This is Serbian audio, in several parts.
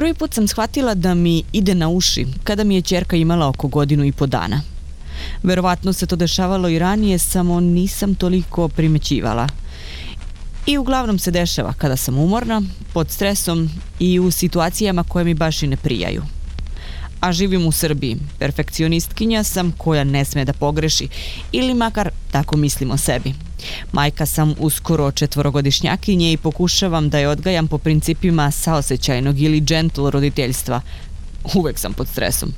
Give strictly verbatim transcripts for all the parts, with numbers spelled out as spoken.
Prvi put sam shvatila da mi ide na uši kada mi je ćerka imala oko godinu i po dana. Verovatno se to dešavalo i ranije, samo nisam toliko primećivala. I uglavnom se dešava kada sam umorna, pod stresom i u situacijama koje mi baš i ne prijaju. A živim u Srbiji, perfekcionistkinja sam koja ne sme da pogreši, ili makar tako mislim o sebi. Majka sam uskoro četvorogodišnjakinje i pokušavam da je odgajam po principima saosećajnog ili gentle roditeljstva. Uvek sam pod stresom.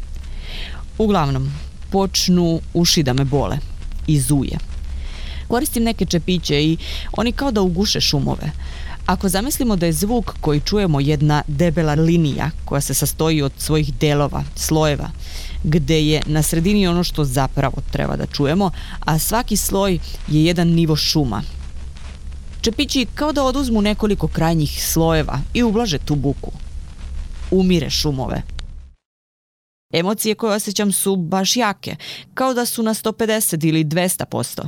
Uglavnom, počnu uši da me bole i zuje. Koristim neke čepiće i oni kao da uguše šumove. Ako zamislimo da je zvuk koji čujemo jedna debela linija koja se sastoji od svojih delova, slojeva, gde je na sredini ono što zapravo treba da čujemo, a svaki sloj je jedan nivo šuma. Čepići kao da oduzmu nekoliko krajnjih slojeva i ublaže tu buku. Umire šumove. Emocije koje osjećam su baš jake, kao da su na sto pedeset ili dvesta posto.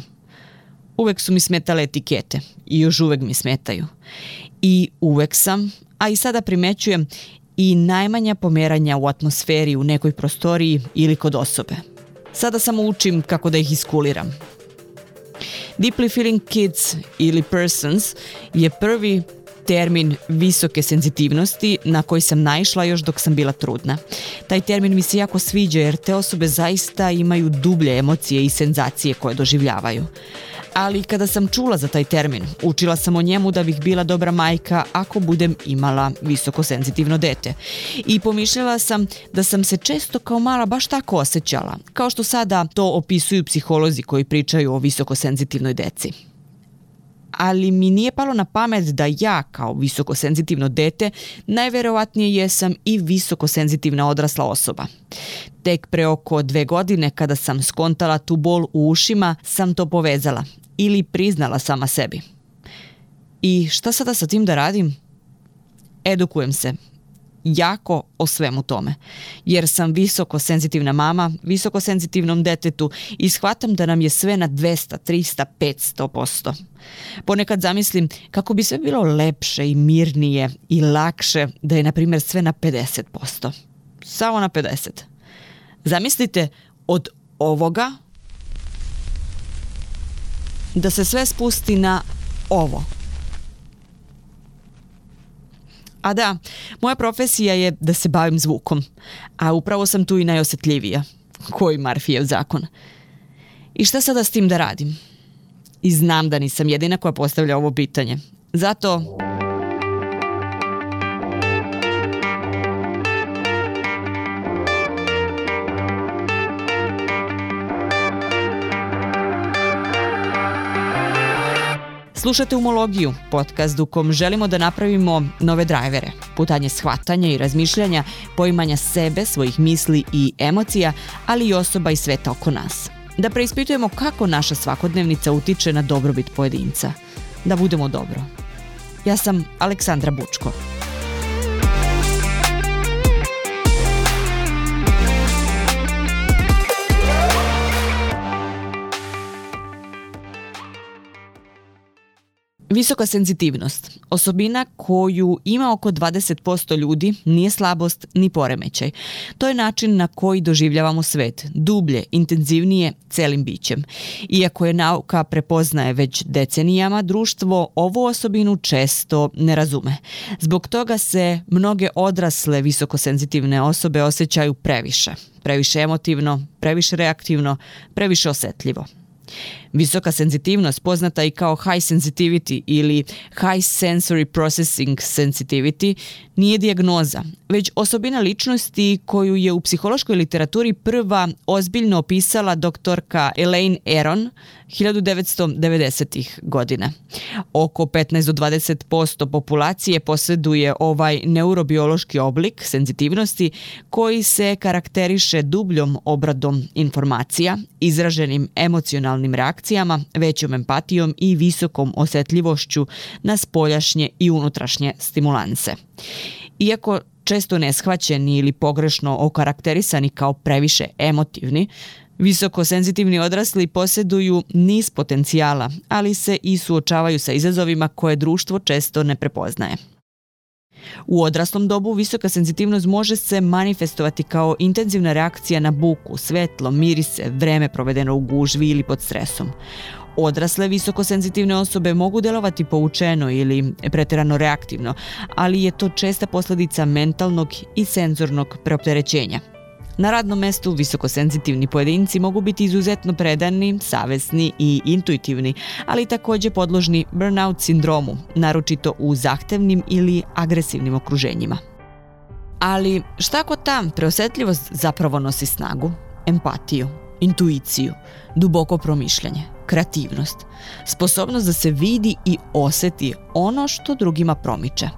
Uvek su mi smetale etikete i još uvek mi smetaju. I uvek sam, a i sada primećujem, i najmanja pomeranja u atmosferi u nekoj prostoriji ili kod osobe. Sada samo učim kako da ih iskuliram. Deeply feeling kids ili persons je prvi termin visoke senzitivnosti na koji sam naišla još dok sam bila trudna. Taj termin mi se jako sviđa jer te osobe zaista imaju dublje emocije i senzacije koje doživljavaju. Ali kada sam čula za taj termin, učila sam o njemu da bih bila dobra majka ako budem imala visoko senzitivno dete. I pomišljala sam da sam se često kao mala baš tako osjećala, kao što sada to opisuju psiholozi koji pričaju o visoko senzitivnoj deci. Ali mi nije palo na pamet da ja kao visoko senzitivno dete najverovatnije jesam i visoko senzitivna odrasla osoba. Tek pre oko dve godine kada sam skontala tu bol u ušima sam to povezala ili priznala sama sebi. I šta sada sa tim da radim? Edukujem se. Jako o svemu tome. Jer sam visoko senzitivna mama, visoko senzitivnom detetu i shvatam da nam je sve na dvesta, trista, petsto posto. Ponekad zamislim kako bi sve bilo lepše i mirnije i lakše da je, na primjer, sve na pedeset posto. Samo na pedeset. Zamislite od ovoga da se sve spusti na ovo. A da, moja profesija je da se bavim zvukom, a upravo sam tu i najosjetljivija. Koji Marfijev zakon. I šta sada s tim da radim? I znam da nisam jedina koja postavlja ovo pitanje. Zato... Slušate Umologiju, podcast u kom želimo da napravimo nove drajvere, putanje shvatanja i razmišljanja, poimanja sebe, svojih misli i emocija, ali i osoba i sveta oko nas. Da preispitujemo kako naša svakodnevnica utiče na dobrobit pojedinca. Da budemo dobro. Ja sam Aleksandra Bučko. Visoka senzitivnost, osobina koju ima oko dvadeset posto ljudi, nije slabost ni poremećaj. To je način na koji doživljavamo svet, dublje, intenzivnije, celim bićem. Iako je nauka prepoznaje već decenijama, društvo ovu osobinu često ne razume. Zbog toga se mnoge odrasle visokosenzitivne osobe osjećaju previše. Previše emotivno, previše reaktivno, previše osetljivo. Visoka senzitivnost, poznata i kao high sensitivity ili high sensory processing sensitivity, nije dijagnoza, već osobina ličnosti koju je u psihološkoj literaturi prva ozbiljno opisala doktorka Elaine Aron hiljadu devetsto devedesetih godina. Oko petnaest do dvadeset posto populacije posjeduje ovaj neurobiološki oblik senzitivnosti koji se karakteriše dubljom obradom informacija, izraženim emocionalnim reakcijama, većom empatijom i visokom osjetljivošću na spoljašnje i unutrašnje stimulanse. Iako često neshvaćeni ili pogrešno okarakterisani kao previše emotivni, visoko senzitivni odrasli posjeduju niz potencijala, ali se i suočavaju sa izazovima koje društvo često ne prepoznaje. U odraslom dobu visoka senzitivnost može se manifestovati kao intenzivna reakcija na buku, svetlo, mirise, vreme provedeno u gužvi ili pod stresom. Odrasle visokosenzitivne osobe mogu delovati poučeno ili pretjerano reaktivno, ali je to česta posljedica mentalnog i senzornog preopterećenja. Na radnom mestu visokosenzitivni pojedinci mogu biti izuzetno predani, savesni i intuitivni, ali također podložni burnout sindromu, naročito u zahtevnim ili agresivnim okruženjima. Ali šta ako ta preosjetljivost zapravo nosi snagu, empatiju, intuiciju, duboko promišljanje, kreativnost, sposobnost da se vidi i osjeti ono što drugima promiče?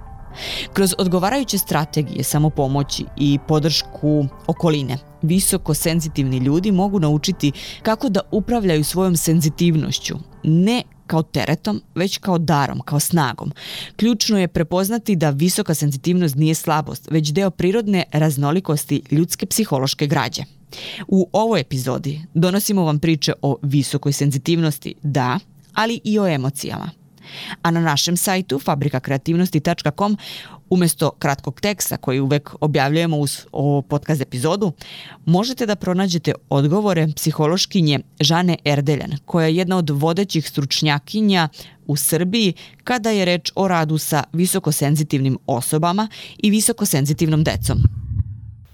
Kroz odgovarajuće strategije samopomoći i podršku okoline, visoko senzitivni ljudi mogu naučiti kako da upravljaju svojom senzitivnošću, ne kao teretom, već kao darom, kao snagom. Ključno je prepoznati da visoka senzitivnost nije slabost, već deo prirodne raznolikosti ljudske psihološke građe. U ovoj epizodi donosimo vam priče o visokoj senzitivnosti, da, ali i o emocijama. A na našem sajtu fabrika kreativnosti tačka com umjesto kratkog teksta koji uvek objavljujemo uz ovu podcast epizodu, možete da pronađete odgovore psihološkinje Žane Erdeljan, koja je jedna od vodećih stručnjakinja u Srbiji kada je reč o radu sa visokosenzitivnim osobama i visokosenzitivnom decom.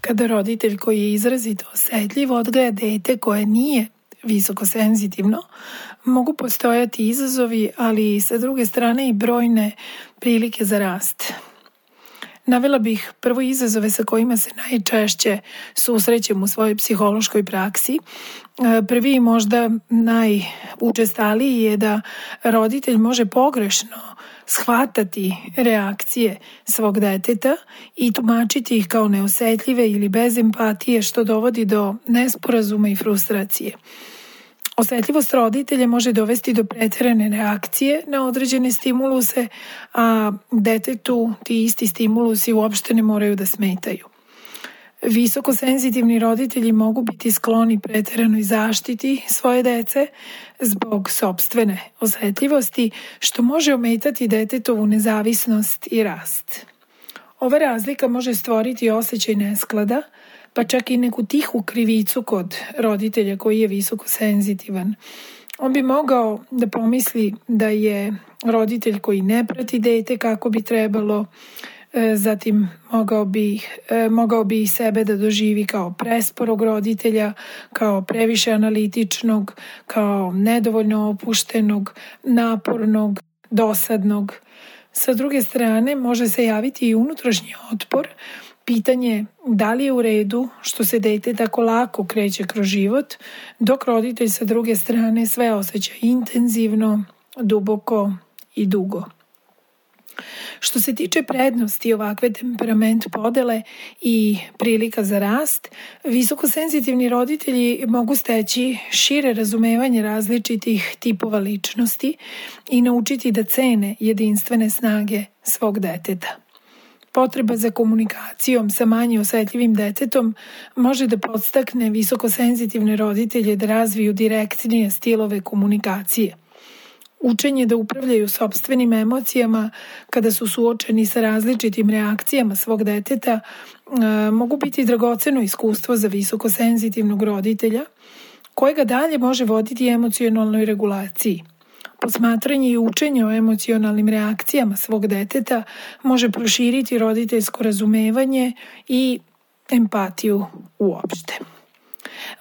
Kada roditelj koji je izrazito osjetljiv odgaja dete koje nije visokosenzitivno, mogu postojati izazovi, ali sa druge strane i brojne prilike za rast. Navela bih prvo izazove sa kojima se najčešće susrećem u svojoj psihološkoj praksi. Prvi i možda najučestaliji je da roditelj može pogrešno shvatati reakcije svog deteta i tumačiti ih kao neosjetljive ili bez empatije, što dovodi do nesporazuma i frustracije. Osjetljivost roditelja može dovesti do pretjerane reakcije na određene stimuluse, a detetu ti isti stimulusi uopšte ne moraju da smetaju. Visokosenzitivni roditelji mogu biti skloni pretjeranoj zaštiti svoje dece zbog sopstvene osjetljivosti, što može ometati detetovu nezavisnost i rast. Ova razlika može stvoriti osjećaj nesklada, pa čak i neku tihu krivicu kod roditelja koji je visokosenzitivan. On bi mogao da pomisli da je roditelj koji ne prati dete kako bi trebalo, zatim mogao bi, mogao bi sebe da doživi kao presporog roditelja, kao previše analitičnog, kao nedovoljno opuštenog, napornog, dosadnog. Sa druge strane, može se javiti i unutrašnji otpor, pitanje da li je u redu što se dete tako lako kreće kroz život, dok roditelj sa druge strane sve osjeća intenzivno, duboko i dugo. Što se tiče prednosti ovakve temperament podele i prilika za rast, visokosenzitivni roditelji mogu steći šire razumevanje različitih tipova ličnosti i naučiti da cene jedinstvene snage svog deteta. Potreba za komunikacijom sa manje osjetljivim detetom može da podstakne visokosenzitivne roditelje da razviju direktnije stilove komunikacije. Učenje da upravljaju sopstvenim emocijama kada su suočeni sa različitim reakcijama svog deteta e, mogu biti dragoceno iskustvo za visokosenzitivnog roditelja, kojega dalje može voditi emocionalnoj regulaciji. Posmatranje i učenje o emocionalnim reakcijama svog deteta može proširiti roditeljsko razumevanje i empatiju uopšte.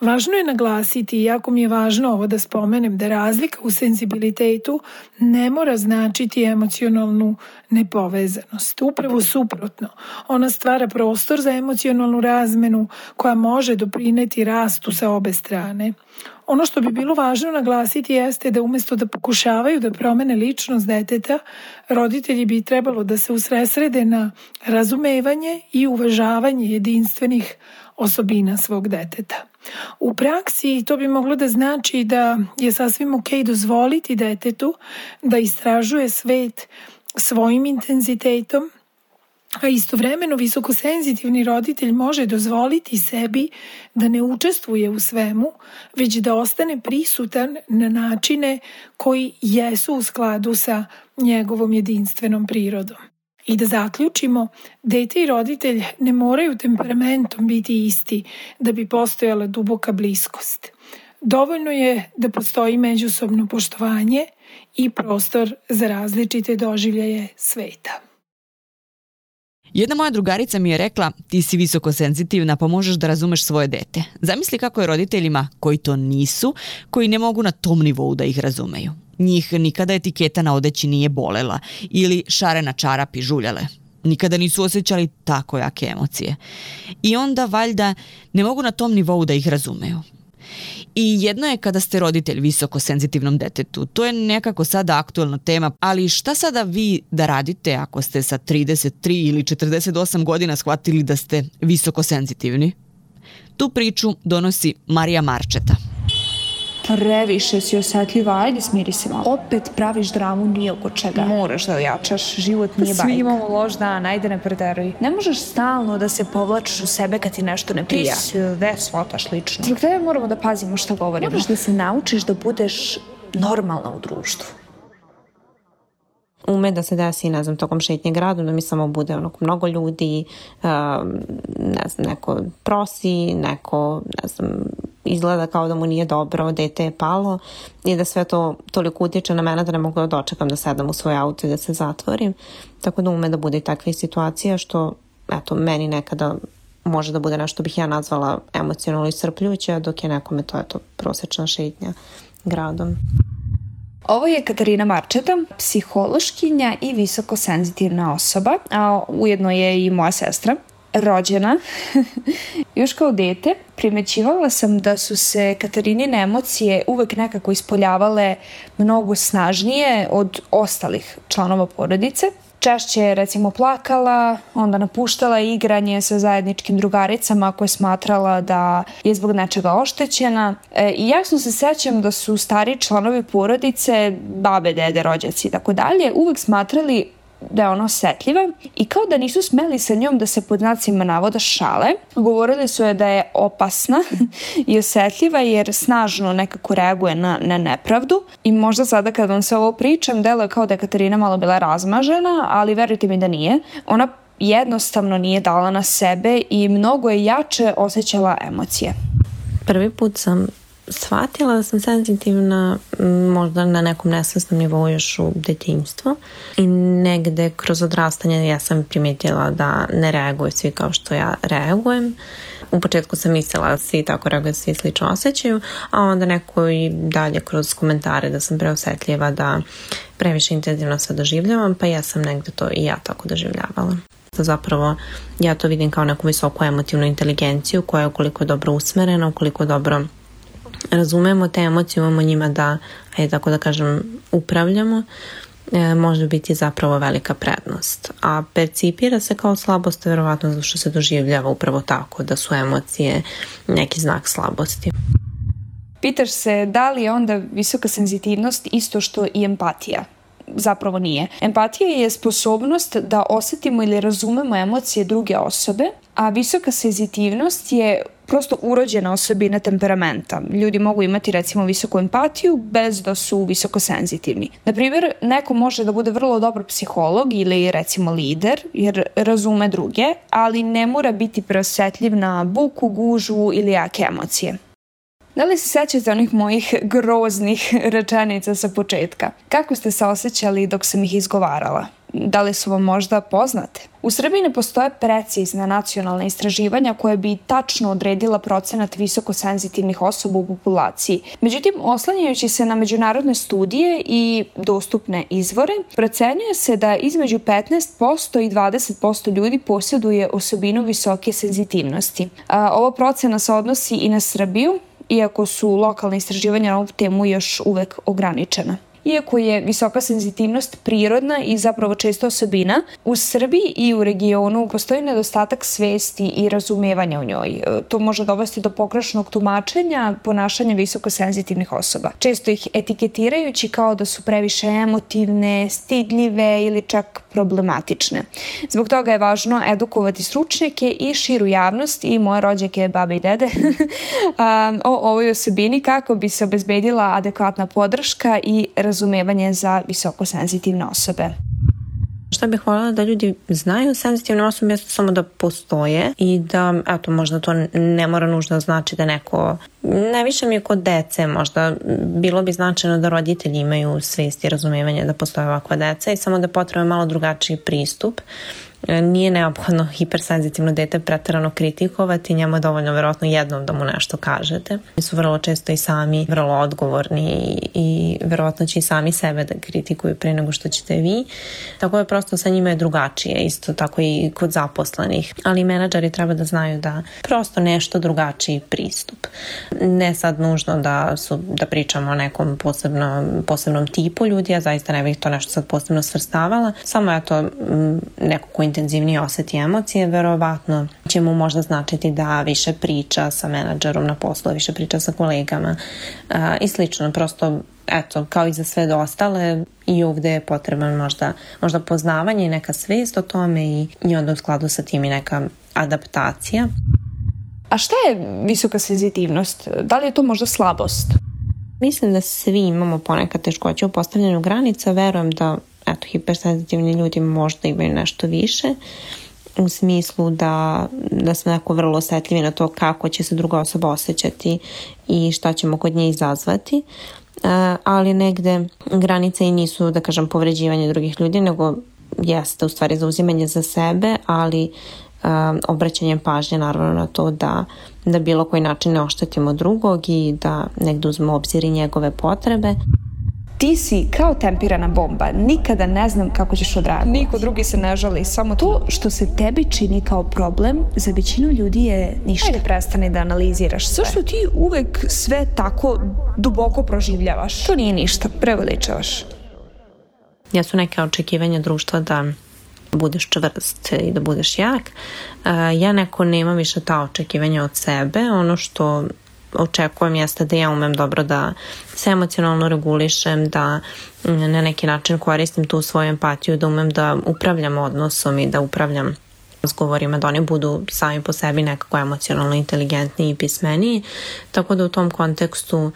Važno je naglasiti, iako mi je važno ovo da spomenem, da razlika u senzibilitetu ne mora značiti emocionalnu nepovezanost. Upravo suprotno, ona stvara prostor za emocionalnu razmenu koja može doprineti rastu sa obe strane. Ono što bi bilo važno naglasiti jeste da umjesto da pokušavaju da promene ličnost deteta, roditelji bi trebalo da se usredsrede na razumevanje i uvažavanje jedinstvenih osobina svog deteta. U praksi to bi moglo da znači da je sasvim ok dozvoliti detetu da istražuje svet svojim intenzitetom, a istovremeno visokosenzitivni roditelj može dozvoliti sebi da ne učestvuje u svemu, već da ostane prisutan na načine koji jesu u skladu sa njegovom jedinstvenom prirodom. I da zaključimo, dete i roditelj ne moraju temperamentom biti isti da bi postojala duboka bliskost. Dovoljno je da postoji međusobno poštovanje i prostor za različite doživljaje sveta. Jedna moja drugarica mi je rekla, ti si visoko senzitivna pa možeš da razumeš svoje dete. Zamisli kako je roditeljima koji to nisu, koji ne mogu na tom nivou da ih razumeju. Njih nikada etiketa na odeći nije bolela ili šare na čarapi žuljale. Nikada nisu osjećali tako jake emocije. I onda valjda ne mogu na tom nivou da ih razumeju. I jedno je kada ste roditelj visoko senzitivnom detetu. To je nekako sada aktuelna tema, ali šta sada vi da radite ako ste sa trideset tri ili četrdeset osam godina shvatili da ste visoko senzitivni? Tu priču donosi Marija Marčeta. Previše si osjetljiva, ajde smiri se malo. Opet praviš dramu nije oko čega. Moraš da ojačaš, život nije bajka. Svi imamo loš dan, ajde ne preteruj. Ne možeš stalno da se povlačiš u sebe kad ti nešto ne prija. Ti sve shvataš lično. Zbog tebe moramo da pazimo šta govorimo. Moraš da se naučiš da budeš normalna u društvu. Ume da se desi, ne znam, tokom šetnje gradom, da mi samo bude onako mnogo ljudi, um, ne znam, neko prosi, neko, ne znam, izgleda kao da mu nije dobro, dete je palo i da sve to toliko utječe na mene da ne mogu da dočekam da sedam u svoj auto i da se zatvorim. Tako da ume da bude i takve situacija što, eto, meni nekada može da bude nešto bih ja nazvala emocionalno iscrpljujuće, dok je nekome to, eto, prosječna šetnja gradom. Ovo je Katarina Marčeta, psihološkinja i visoko senzitivna osoba, a ujedno je i moja sestra. Rođena. Još kao dete primećivala sam da su se Katarinine emocije uvek nekako ispoljavale mnogo snažnije od ostalih članova porodice. Češće je recimo plakala, onda napuštala igranje sa zajedničkim drugaricama koje smatrala da je zbog nečega oštećena. E, I jasno se sećam da su stari članovi porodice, babe, dede, rođaci i tako dalje, uvek smatrali da je ona osetljiva i kao da nisu smeli sa njom da se pod znacima navoda šale. Govorili su je da je opasna i osetljiva jer snažno nekako reaguje na, na nepravdu i možda sada kad vam se ovo pričam deluje kao da je Katarina malo bila razmažena, ali verujte mi da nije. Ona jednostavno nije dala na sebe i mnogo je jače osjećala emocije. Prvi put sam shvatila da sam senzitivna možda na nekom nesvesnom nivou još u detinjstvu i negde kroz odrastanje ja sam primijetila da ne reaguju svi kao što ja reagujem. U početku sam mislila da svi tako reaguju, svi slično osjećaju, a onda neko i dalje kroz komentare da sam preosetljiva, da previše intenzivno sve doživljavam, pa ja sam negde to i ja tako doživljavala. Zapravo ja to vidim kao neku visoku emotivnu inteligenciju koja je ukoliko je dobro usmerena, ukoliko je dobro razumemo te emocije, imamo njima da, ajde tako da kažem, upravljamo, e, može biti zapravo velika prednost. A percipira se kao slabost, verovatno zato što se doživljava upravo tako, da su emocije neki znak slabosti. Pitaš se da li je onda visoka senzitivnost isto što i empatija? Zapravo nije. Empatija je sposobnost da osjetimo ili razumemo emocije druge osobe, a visoka senzitivnost je prosto urođena osobina temperamenta. Ljudi mogu imati recimo visoku empatiju bez da su visoko senzitivni. Na primjer, neko može da bude vrlo dobar psiholog ili recimo lider jer razume druge, ali ne mora biti preosetljiv na buku, gužvu ili jake emocije. Da li se sećate onih mojih groznih rečenica sa početka? Kako ste se osjećali dok sam ih izgovarala? Da li su vam možda poznate? U Srbiji ne postoje precizna nacionalna istraživanja koje bi tačno odredila procenat visoko senzitivnih osoba u populaciji. Međutim, oslanjajući se na međunarodne studije i dostupne izvore, procenjuje se da između petnaest posto i dvadeset posto ljudi posjeduje osobinu visoke senzitivnosti. A, ova procena se odnosi i na Srbiju, iako su lokalne istraživanja na ovu temu još uvek ograničena. Iako je visoka senzitivnost prirodna i zapravo često osobina, u Srbiji i u regionu postoji nedostatak svesti i razumevanja u njoj. To može dovesti do pogrešnog tumačenja ponašanja visoko senzitivnih osoba. Često ih etiketirajući kao da su previše emotivne, stidljive ili čak problematične. Zbog toga je važno edukovati stručnjake i širu javnost i moje rođake, babe i dede o ovoj osobini kako bi se obezbedila adekvatna podrška i razumevanje za visoko senzitivne osobe. Šta bih voljela da ljudi znaju, senzitivne osobe mjesto samo da postoje i da, eto, možda to ne mora nužno znači da neko, najviše mi je kod dece, možda bilo bi značajno da roditelji imaju svijest i razumijevanje da postoje ovakva deca i samo da potrebuje malo drugačiji pristup. Nije neophodno hipersenzitivno dete preterano kritikovati, njemu je dovoljno vjerojatno jednom da mu nešto kažete. Oni su vrlo često i sami vrlo odgovorni i, i vjerojatno će i sami sebe da kritikuju prije nego što ćete vi. Tako je prosto sa njima je drugačije, isto tako i kod zaposlenih. Ali menadžeri treba da znaju da prosto nešto drugačiji pristup. Ne sad nužno da, su, da pričamo o nekom posebno, posebnom tipu ljudi, ja zaista ne bih to nešto sad posebno svrstavala. Samo je to neko ko intenzivnije osjeti emocije, verovatno će mu možda značiti da više priča sa menadžerom na poslu, više priča sa kolegama uh, i slično. Prosto, eto, kao i za sve ostale, i ovdje je potreban možda, možda poznavanje i neka svijest o tome i, i onda u skladu sa tim i neka adaptacija. A šta je visoka senzitivnost? Da li je to možda slabost? Mislim da svi imamo ponekad teškoće u postavljanju granica. Verujem da eto, hipersenzitivni ljudi možda imaju nešto više u smislu da, da smo jako vrlo osjetljivi na to kako će se druga osoba osjećati i šta ćemo kod nje izazvati, uh, ali negde granice i nisu, da kažem, povređivanje drugih ljudi, nego jeste u stvari zauzimanje za sebe, ali uh, obraćanjem pažnje naravno na to da, da bilo koji način ne oštetimo drugog i da negde uzmemo u obzir i njegove potrebe. Ti si kao tempirana bomba, nikada ne znam kako ćeš odreagovati. Niko drugi se ne žali, samo to što se tebi čini kao problem, za većinu ljudi je ništa. Ajde, prestani da analiziraš sve. Zašto ti uvek sve tako duboko proživljavaš? To nije ništa, preveličavaš. Jesu neke očekivanja društva da budeš čvrst i da budeš jak. Ja neko nemam više ta očekivanja od sebe. Ono što očekujem jeste da ja umem dobro da se emocionalno regulišem, da na neki način koristim tu svoju empatiju, da umem da upravljam odnosom i da upravljam razgovorima, da oni budu sami po sebi nekako emocionalno inteligentniji i pismeniji. Tako da u tom kontekstu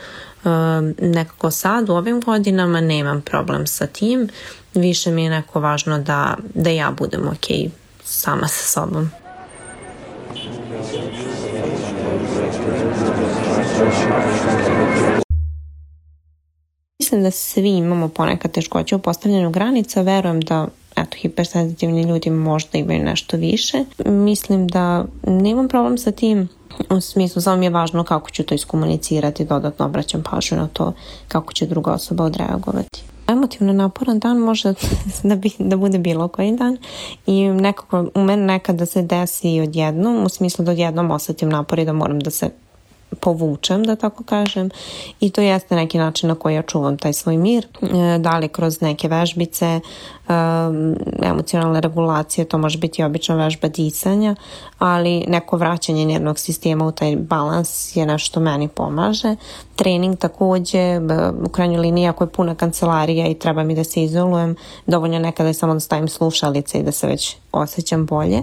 nekako sad u ovim godinama nemam problem sa tim. Više mi je neko važno da, da ja budem ok sama sa sobom. Mislim da svi imamo ponekad teškoće u postavljanju granica. Verujem da eto, hipersenzitivni ljudi možda imaju nešto više. Mislim da nemam problem sa tim. U smislu, samo mi je važno kako ću to iskomunicirati, dodatno obraćam pažnju na to kako će druga osoba odreagovati. Emotivno naporan dan može da, bi, da bude bilo koji dan i nekako u meni nekada se desi odjednom, u smislu da odjednom osjetim napor i da moram da se povučem, da tako kažem, i to jeste neki način na koji ja čuvam taj svoj mir, da li kroz neke vežbice, emocionalne regulacije, to može biti obično vežba disanja, ali neko vraćanje nervnog sistema u taj balans je nešto meni pomaže. Trening također, u krajnjoj liniji ako je puna kancelarija i treba mi da se izolujem, dovoljno nekada je samo da stavim slušalice i da se već osjećam bolje.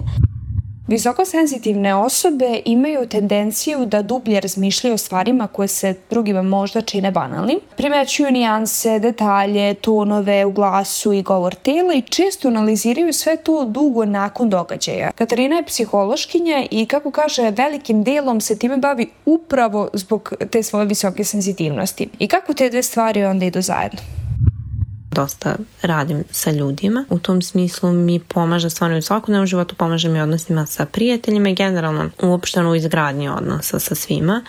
Visoko senzitivne osobe imaju tendenciju da dublje razmišljaju o stvarima koje se drugima možda čine banalnim. Primećuju nijanse, detalje, tonove u glasu i govor tela i često analiziraju sve to dugo nakon događaja. Katarina je psihološkinja i, kako kaže, velikim delom se time bavi upravo zbog te svoje visoke senzitivnosti. I kako te dve stvari onda idu zajedno? Dosta radim sa ljudima. U tom smislu mi pomaže stvarno u svakodnevnom životu, pomaže mi odnosima sa prijateljima i generalno uopšteno u izgradnji odnosa sa svima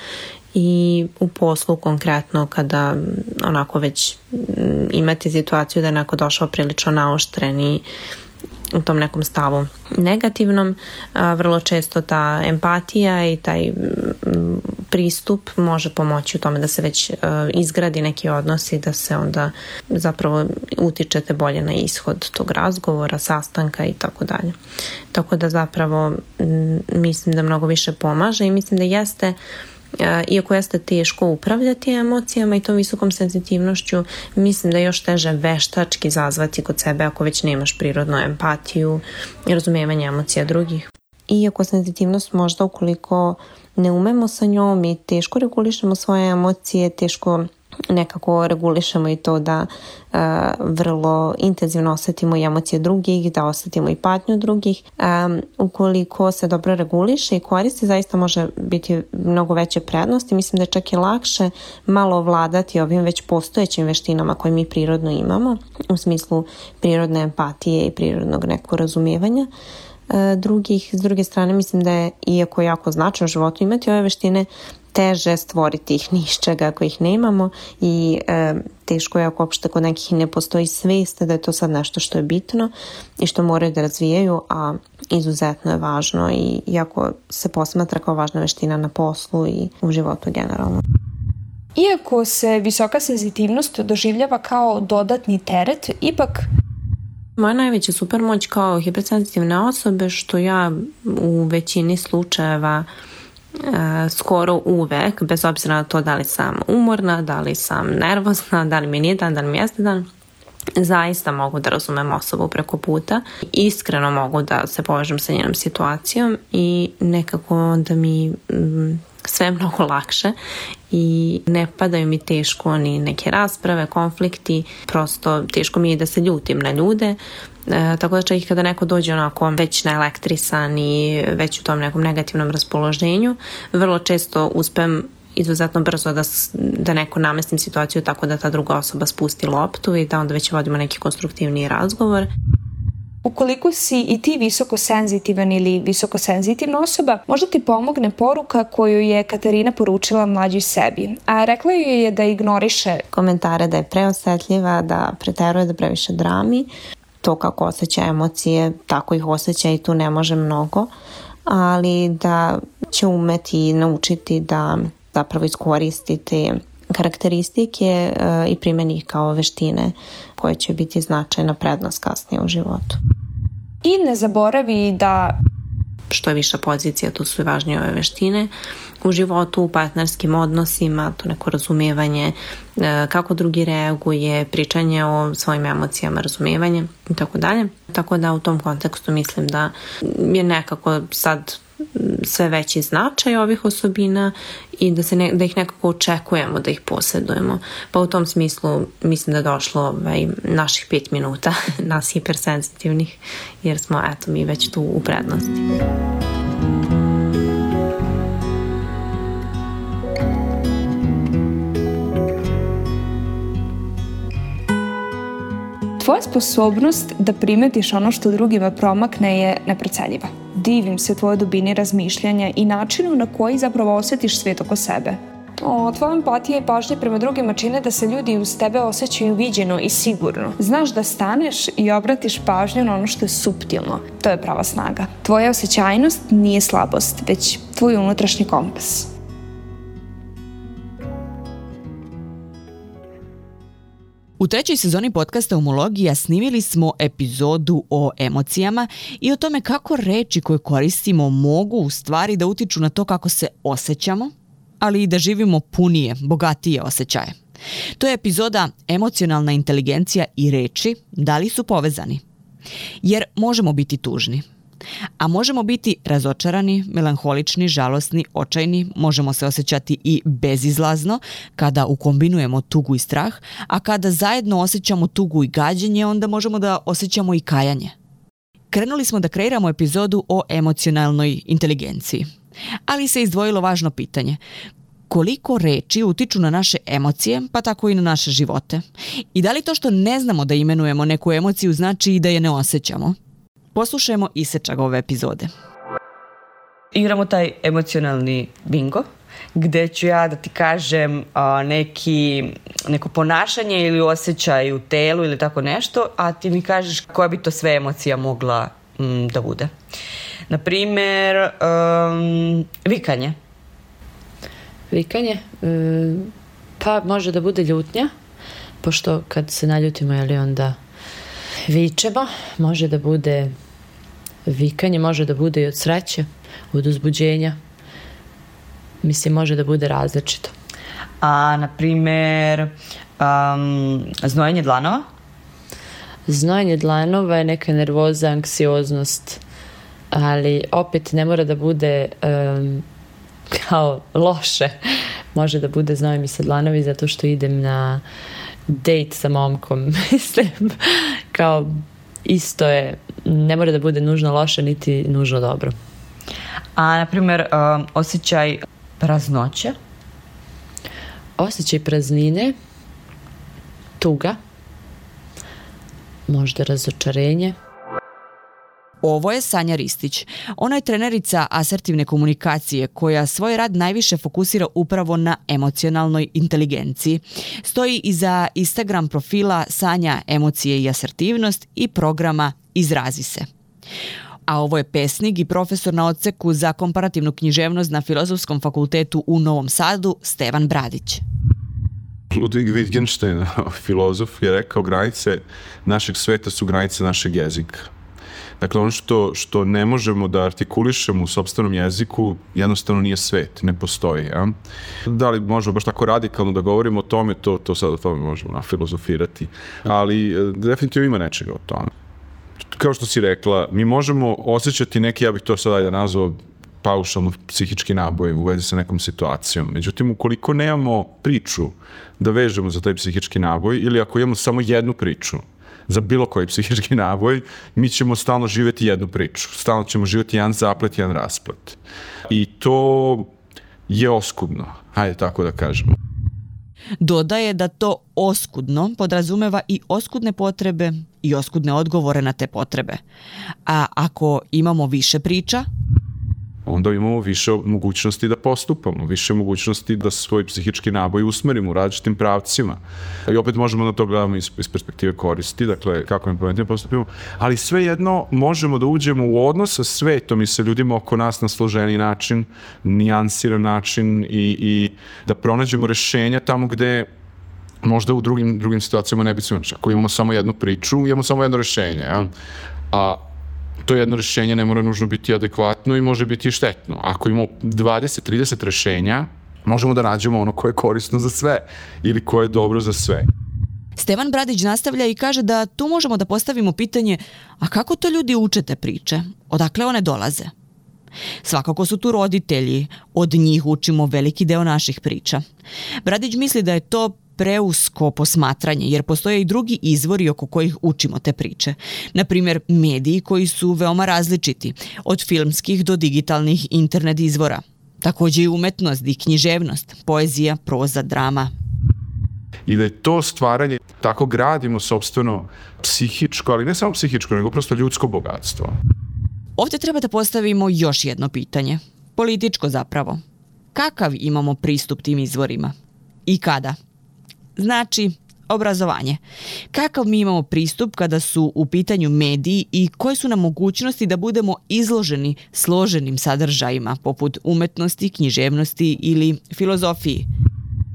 i u poslu konkretno kada onako već imate situaciju da je neko došao prilično naoštren i u tom nekom stavu negativnom, a, vrlo često ta empatija i taj m, pristup može pomoći u tome da se već a, izgradi neki odnos i da se onda zapravo utičete bolje na ishod tog razgovora, sastanka i tako dalje. Tako da zapravo m, mislim da mnogo više pomaže i mislim da jeste, iako jeste teško upravljati emocijama i tom visokom senzitivnošću, mislim da je još teže veštački zazvati kod sebe ako već nemaš prirodnu empatiju i razumijevanje emocija drugih. Iako senzitivnost možda ukoliko ne umemo sa njom i teško regulišemo svoje emocije, teško nekako regulišemo i to da uh, vrlo intenzivno osetimo i emocije drugih, da osetimo i patnju drugih. Um, ukoliko se dobro reguliše i koristi, zaista može biti mnogo veće prednosti. Mislim da je čak i lakše malo ovladati ovim već postojećim veštinama koje mi prirodno imamo, u smislu prirodne empatije i prirodnog nekog razumijevanja drugih. S druge strane, mislim da je, iako jako značajno u životu imati ove veštine, teže stvoriti ih ni iz čega ako ih nemamo i e, teško je ako uopšte kod nekih ne postoji svijest da je to sad nešto što je bitno i što moraju da razvijaju, a izuzetno je važno i iako se posmatra kao važna veština na poslu i u životu generalno. Iako se visoka senzitivnost doživljava kao dodatni teret, ipak moja najveća supermoć kao hipersenzitivne osobe što ja u većini slučajeva e, skoro uvek, bez obzira na to da li sam umorna, da li sam nervozna, da li mi nije dan, da li mi jeste dan, zaista mogu da razumem osobu preko puta. Iskreno mogu da se povežem sa njenom situacijom i nekako onda mi mm, sve mnogo lakše i ne padaju mi teško ni neke rasprave, konflikti, prosto teško mi je da se ljutim na ljude, e, tako da čak i kada neko dođe onako već naelektrisan i već u tom nekom negativnom raspoloženju, vrlo često uspem izuzetno brzo da, da neko namestim situaciju tako da ta druga osoba spusti loptu i da onda već vodimo neki konstruktivniji razgovor. Ukoliko si i ti visokosenzitivan ili visokosenzitivna osoba, možda ti pomogne poruka koju je Katarina poručila mlađoj sebi. A rekla joj je da ignoriše komentare da je preosetljiva, da preteruje, da previše drami. To kako osjeća emocije, tako ih osjeća i tu ne može mnogo, ali da će umeti naučiti da zapravo iskoristiti karakteristike i primjeni ih kao veštine koje će biti značajna prednost kasnije u životu. I ne zaboravi da što je viša pozicija, tu su i važnije ove veštine u životu, u partnerskim odnosima, to neko razumijevanje kako drugi reaguje, pričanje o svojim emocijama, razumijevanje i tako dalje. Tako da u tom kontekstu mislim da je nekako sad sve veći značaj ovih osobina i da, se ne, da ih nekako očekujemo da ih posjedujemo. Pa u tom smislu mislim da je došlo ovaj, naših pet minuta, nas hipersenzitivnih, jer smo eto mi već tu u prednosti. Tvoja sposobnost da primetiš ono što drugima promakne je neprocenjiva. Divim se tvojoj dubini razmišljanja i načinu na koji zapravo osjetiš svijet oko sebe. O, tvoja empatija i pažnja prema drugima čine da se ljudi uz tebe osjećaju viđeno i sigurno. Znaš da staneš i obratiš pažnju na ono što je suptilno. To je prava snaga. Tvoja osjećajnost nije slabost, već tvoj unutrašnji kompas. U trećoj sezoni podcasta Umologija snimili smo epizodu o emocijama i o tome kako reči koje koristimo mogu u stvari da utiču na to kako se osjećamo, ali i da živimo punije, bogatije osjećaje. To je epizoda Emocionalna inteligencija i reči, da li su povezani? Jer možemo biti tužni. A možemo biti razočarani, melanholični, žalosni, očajni, možemo se osjećati i bezizlazno kada ukombinujemo tugu i strah, a kada zajedno osjećamo tugu i gađenje, onda možemo da osjećamo i kajanje. Krenuli smo da kreiramo epizodu o emocionalnoj inteligenciji, ali se izdvojilo važno pitanje. Koliko reči utiču na naše emocije, pa tako i na naše živote? I da li to što ne znamo da imenujemo neku emociju znači i da je ne osjećamo? Poslušajmo isečak ove epizode. Igramo taj emocionalni bingo, gde ću ja da ti kažem a, neki, neko ponašanje ili osjećaj u telu ili tako nešto, a ti mi kažeš koja bi to sve emocija mogla m, da bude. Naprimer, um, vikanje. Vikanje? Um, pa može da bude ljutnja, pošto kad se naljutimo, jeli onda vičemo, može da bude vikanje, može da bude i od sreće, od uzbuđenja. Mislim, može da bude različito. A, na primjer, um, znojenje dlanova? Znojenje dlanova je neka nervoza, anksioznost, ali opet ne mora da bude um, kao loše. može da bude Znoje mi Sedlanović zato što idem na dejt sa momkom. Mislim, kao isto je, ne mora da bude nužno loše niti nužno dobro. A, na primjer, um, osjećaj praznoće? Osjećaj praznine, tuga, možda razočarenje. Ovo je Sanja Ristić. Ona je trenerica asertivne komunikacije koja svoj rad najviše fokusira upravo na emocionalnoj inteligenciji. Stoji iza Instagram profila Sanja emocije i asertivnost i programa Izrazi se. A ovo je pesnik i profesor na odseku za komparativnu književnost na Filozofskom fakultetu u Novom Sadu, Stevan Bradić. Ludwig Wittgenstein, filozof, je rekao granice našeg sveta su granice našeg jezika. Dakle, ono što, što ne možemo da artikulišemo u sopstvenom jeziku jednostavno nije svet, ne postoji. Ja? Da li možemo baš tako radikalno da govorimo o tome, to, to sad o tome možemo nafilozofirati, ali definitivno ima nečega o tome. Kao što si rekla, mi možemo osjećati neki, ja bih to sad ajde nazvao, paušalno psihički naboj u vezi sa nekom situacijom. Međutim, ukoliko nemamo priču da vežemo za taj psihički naboj ili ako imamo samo jednu priču za bilo koji psihički naboj, mi ćemo stalno živjeti jednu priču. Stalno ćemo živjeti jedan zaplet, jedan rasplet. I to je oskudno, hajde tako da kažemo. Dodaje da to oskudno podrazumeva i oskudne potrebe i oskudne odgovore na te potrebe. A ako imamo više priča, onda imamo više mogućnosti da postupamo, više mogućnosti da svoj psihički naboj usmerimo u različitim pravcima. I opet možemo na to gledamo iz, iz perspektive koristi, dakle kako mi pametnije postupimo, ali svejedno možemo da uđemo u odnos sa svetom i sa ljudima oko nas na složeni način, nijansiran način i, i da pronađemo rešenja tamo gde možda u drugim, drugim situacijama ne bi se imali. Ako imamo samo jednu priču, imamo samo jedno rešenje, ja? A to jedno rešenje ne mora nužno biti adekvatno i može biti i štetno. Ako imamo dvadeset trideset rešenja, možemo da nađemo ono koje je korisno za sve ili koje je dobro za sve. Stevan Bradić nastavlja i kaže da tu možemo da postavimo pitanje, a kako to ljudi uče te priče? Odakle one dolaze? Svakako su tu roditelji, od njih učimo veliki deo naših priča. Bradić misli da je to preusko posmatranje, jer postoje i drugi izvori oko kojih učimo te priče. Naprimjer, mediji koji su veoma različiti, od filmskih do digitalnih internet izvora. Također i umetnost i književnost, poezija, proza, drama. I da je to stvaranje, tako gradimo sopstveno psihičko, ali ne samo psihičko, nego prosto ljudsko bogatstvo. Ovdje treba da postavimo još jedno pitanje. Političko zapravo. Kakav imamo pristup tim izvorima? I kada? Znači, obrazovanje. Kakav mi imamo pristup kada su u pitanju mediji i koje su nam mogućnosti da budemo izloženi složenim sadržajima poput umetnosti, književnosti ili filozofiji?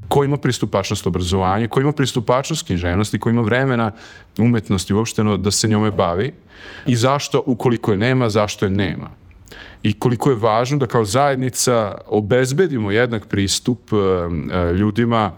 Ko ima pristupačnost obrazovanju, ko ima pristupačnost književnosti, ko ima vremena umetnosti uopšteno da se njome bavi i zašto, ukoliko je nema, zašto je nema. I koliko je važno da kao zajednica obezbedimo jednak pristup ljudima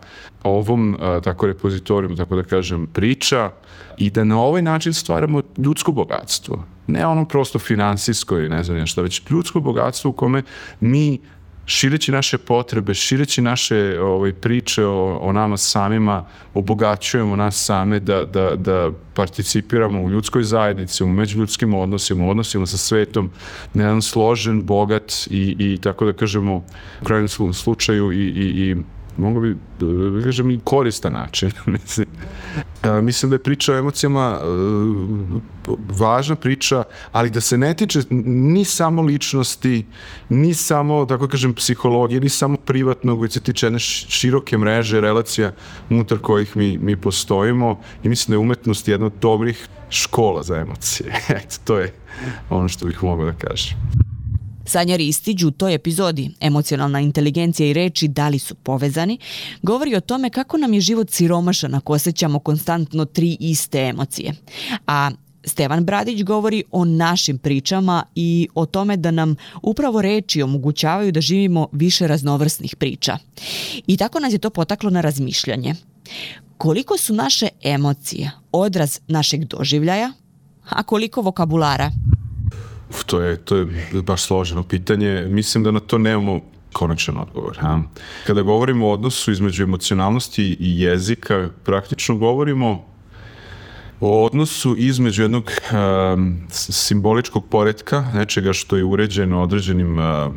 ovom tako repozitorijum, tako da kažem, priča i da na ovaj način stvaramo ljudsko bogatstvo. Ne ono prosto finansijsko i ne znam šta, već ljudsko bogatstvo u kome mi šireći naše potrebe, šireći naše ovaj, priče o, o nama samima, obogaćujemo nas same da, da, da participiramo u ljudskoj zajednici, u međuljudskim odnosima, u odnosima sa svetom, na jedan složen, bogat i, i tako da kažemo, u krajnjem slučaju i, i, i mogu bi da kažem i koristan način. mislim, a, mislim da je priča o emocijama a, važna priča, ali da se ne tiče ni samo ličnosti, ni samo, tako kažem, psihologije, ni samo privatnog, već se tiče jedne široke mreže relacija unutar kojih mi, mi postojimo i mislim da je umetnost jedna od dobrih škola za emocije. Eto, to je ono što bih mogao da kažem. Sanja Ristić u toj epizodi Emocionalna inteligencija i reči da li su povezani, govori o tome kako nam je život siromašan ako osjećamo konstantno tri iste emocije. A Stevan Bradić govori o našim pričama i o tome da nam upravo reči omogućavaju da živimo više raznovrsnih priča. I tako nas je to potaklo na razmišljanje. Koliko su naše emocije odraz našeg doživljaja, a koliko vokabulara? To je, to je baš složeno pitanje. Mislim da na to nemamo konačan odgovor. Ha? Kada govorimo o odnosu između emocionalnosti i jezika, praktično govorimo o odnosu između jednog um, simboličkog poretka, nečega što je uređeno određenim uh,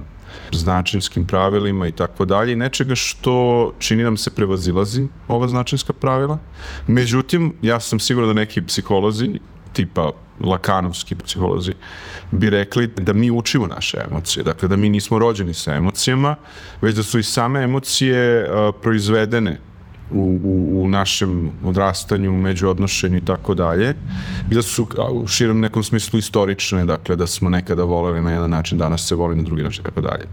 značinskim pravilima i tako dalje, i nečega što čini nam se prevazilazi ova značinska pravila. Međutim, ja sam siguran da neki psiholozi, tipa lakanovski psiholozi, bi rekli da mi učimo naše emocije, dakle da mi nismo rođeni sa emocijama, već da su i same emocije uh, proizvedene U, u, u našem odrastanju, međuodnošenju i tako dalje, i da su u širom nekom smislu istorične, dakle da smo nekada voleli na jedan način, danas se voli na drugi način i tako dalje.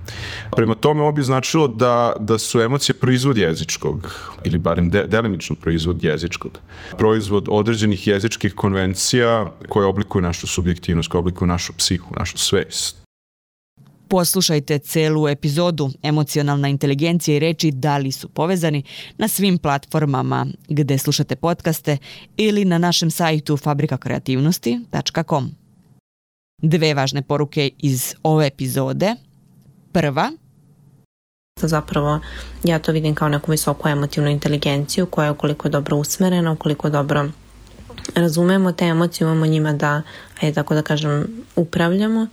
Prema tome ovo bi značilo da, da su emocije proizvod jezičkog, ili barem de, delimično proizvod jezičkog, proizvod određenih jezičkih konvencija koje oblikuju našu subjektivnost, koje oblikuju našu psihu, našu svest. Poslušajte celu epizodu Emocionalna inteligencija i reči da li su povezani na svim platformama gde slušate podcaste ili na našem sajtu fabrika kreativnosti tačka com. Dve važne poruke iz ove epizode. Prva. Zapravo ja to vidim kao neku visoku emotivnu inteligenciju koja je ukoliko je dobro usmerena, ukoliko dobro razumemo te emocije, imamo njima da, ajde tako da kažem, upravljamo,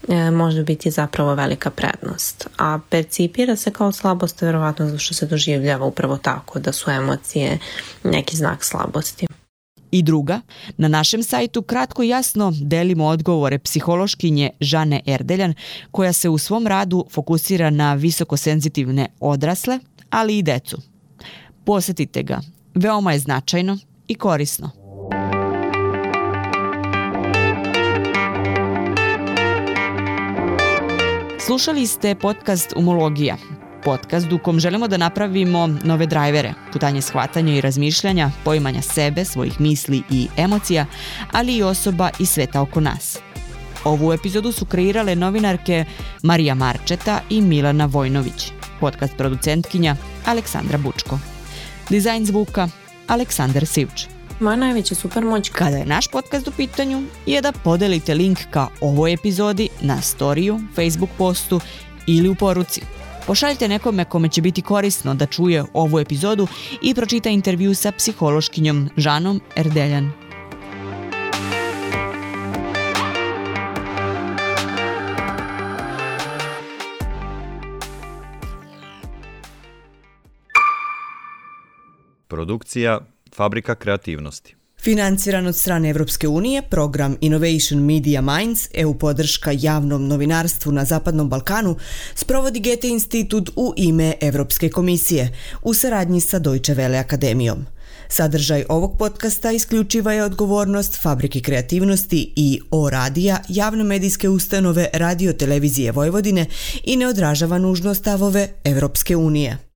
E, može biti zapravo velika prednost. A percipira se kao slabost verovatno zato što se doživljava upravo tako, da su emocije neki znak slabosti. I druga, na našem sajtu kratko i jasno delimo odgovore psihološkinje Žane Erdeljan, koja se u svom radu fokusira na visokosenzitivne odrasle, ali i decu. Posetite ga, veoma je značajno i korisno. Slušali ste podcast Umologija, podcast u kom želimo da napravimo nove drajvere, putanje shvatanja i razmišljanja, poimanja sebe, svojih misli i emocija, ali i osoba i sveta oko nas. Ovu epizodu su kreirale novinarke Marija Marčeta i Milana Vojnović, podcast producentkinja Aleksandra Bučko. Dizajn zvuka Aleksandar Sivč. Moja najveća supermoć kada je naš podcast u pitanju je da podelite link ka ovoj epizodi na storiju, Facebook postu ili u poruci. Pošaljite nekome kome će biti korisno da čuje ovu epizodu i pročita intervju sa psihološkinjom Žanom Erdeljan. Produkcija Fabrika kreativnosti. Financiran od strane Evropske unije, program Innovation Media Minds, E U podrška javnom novinarstvu na Zapadnom Balkanu, sprovodi Goethe institut u ime Evropske komisije u saradnji sa Deutsche Welle akademijom. Sadržaj ovog podcasta isključiva je odgovornost Fabrike kreativnosti i O radija, javne medijske ustanove Radio Televizije Vojvodine i ne odražava nužno stavove Evropske unije.